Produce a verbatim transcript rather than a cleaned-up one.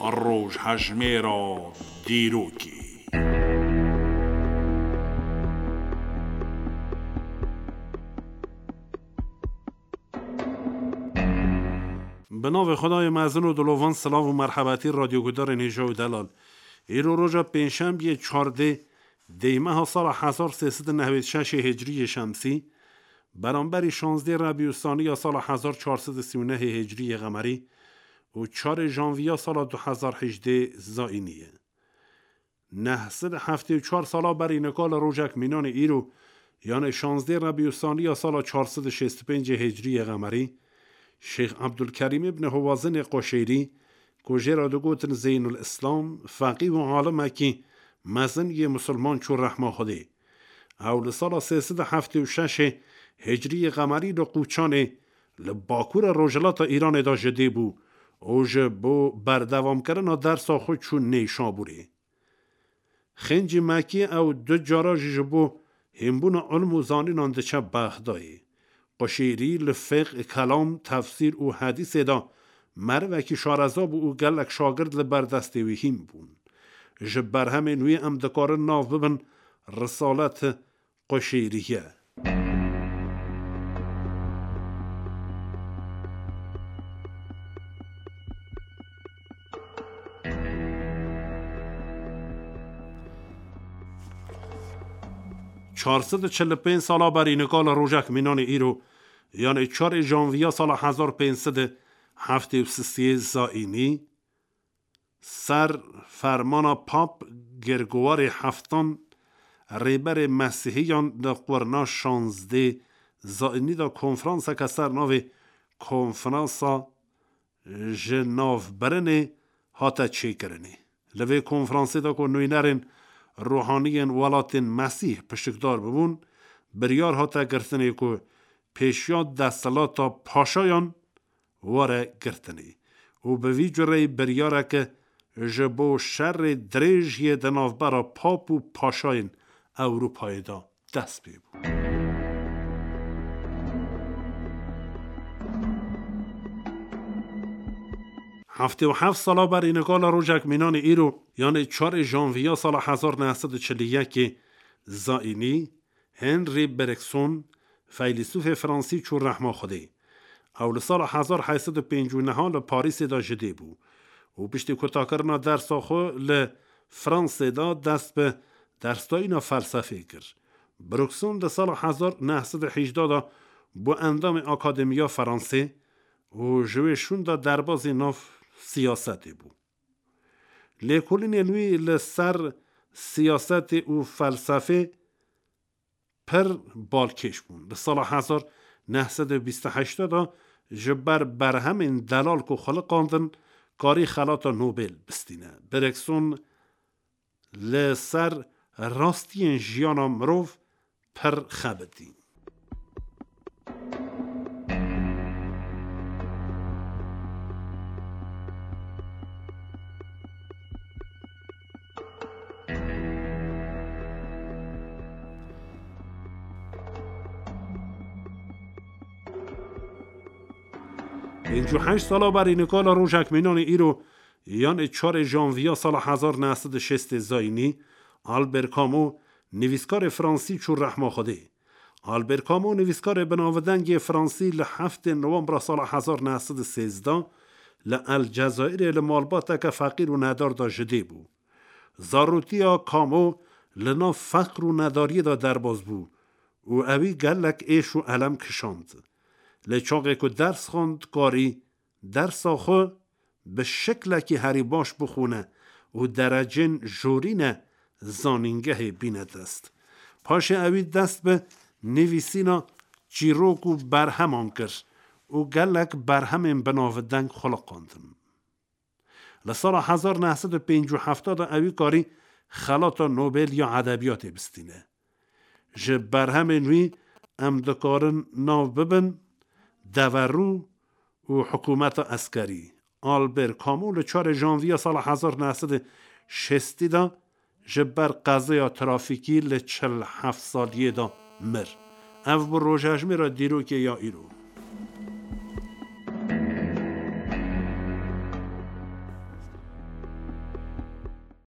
Rojhejmêra dîrokê. Bi navê Xwedayê mezin û dilovan, silav û merhebetî radyoguhdarên hêja û delal. Îro roja pêncşembiyê çardê dêmeha sala hezar sê sed û nehwêd şeşê hicriyê şemsî, beramberî şazdê Rebî û Sanî ya sala hezar çar sed û sî û nehê hicriyê qemerî û çarê janviya sala du hezar hejdê zayînî ye. Neh sed û heftê û çar sala berî nika li rojek mînanê îro, yanê şazdê Rebî û Sanî ya sala çar sed û şêst û pêncê hicriyê qemerî, Şêx Ebdulkerîm îbn Howazinê Qoşêrî, ku jê re digotin Zeynul Îslam, feqî û alimekî mezin yê misilman çû rehma Xwedê. Ew li sala sê sed û heftê û şeşê hicriyê qemerî li Qûçanê, li bakurê rojhilata Îranê de ji dê bû û ji bo berdewamkirina dersa xwe çû Nêşabûrê. Xêncî Mekî ew du cara jî ji bo hînbûna ilm û zanînan diçe Bexdayê. Quşêrî li fiqh, kelam, tefsîr û hedîsê de merivekî şareza bû û gelek şagird li ber destê wî hîn bûn. Ji berhemên wî em dikarin nav bibin Risalet Quşêrî ye. Çar sed û çil û pênc sala berî nika li rojek mînanê îro, yanê çarê janviya sala hezar pênc sed û heftê û sisê zayînî, ser fermana Pap Gergowarê Heftan, rêberê Mesîhiyan, di qurna şazdê zayînî de konferanseke ser navê Konferansa Ji Navbirinê hate çêkirinê. Li vê konferansê de ku nûnerên ruhaniyên welatên Mesîh pişikdar bibûn, biryar hate girtinê ku pêşiya desthilata paşayan were girtinê û bi vî cureyî biryareke ji bo şerê dirêj yê di navbera pap û paşayên Ewropayê de dest pê bû. Heftê û heft sala berî nika li rojek mînanê îro, yanê çarê janviya sala hezar neh sed û çil û yekê zayînî, Henri Bergson, feylesûfê fransî çû rehma Xwedê. Ew li sala hezar heyt sed û pêncî û neh li Parîsê de ji dê bû û piştî kutakirina dersa xwe li Fransê de dest bi dersdayîna felsefê kir. Bergson di sala hezar neh sed û hejda de bû endamê Akademiya Fransê û ji wê şûn de derbazî nav siyasetê bû. Lêkolînên wî li ser siyasetê û felsefê pir balkêş bûn. Li sala hezar neh sed û bîst û heşt de ji ber berhemên delal ku xuliqandin, karî xelata Nobel bistîne. Bergson li ser rastiyên jiyana mirov pir xebitî. Pêncî û heşt sala berî nika li rojek mînanê îro, yanê çarê janviya sala hezar neh sed û şêstê zayînî, Albert Camus, nivîskarê fransî çû rehma Xwedê. Albert Camus, nivîskarê binavdengê fransî, li heftê nowembra sala hezar neh sed û sêzdeh li El Cezayirê li malbateke feqîr û nedar de ji dê bû. Zarotiya Camus li nav feqr û nedariyê de derbas bû û ewî gelek êş û elem kişand. Lê çaxê ku ders xwend, karî dersa xwe bi şiklekî herî baş bixwîne û derecên jorîne zanîngehê bîne dest. Paşê ewî dest bi nivîsîna çîrok û berheman kir û gelek berhemên binavdeng xuliqandin. Li sala hezar neh sed û pêncî û heft de ewî karî xelata Nobel ya edebiyatê bistîne. Ji berhemên wî em dikarin nav bibin Deverû û Hikûmeta Eskerî. Albert Camus li çarê janviya sala hezar neh sed û şêstî de ji ber qezeya trafîkî li çil heft saliyê de mir. Ev bû rojhejmêra dîrokê ya îro.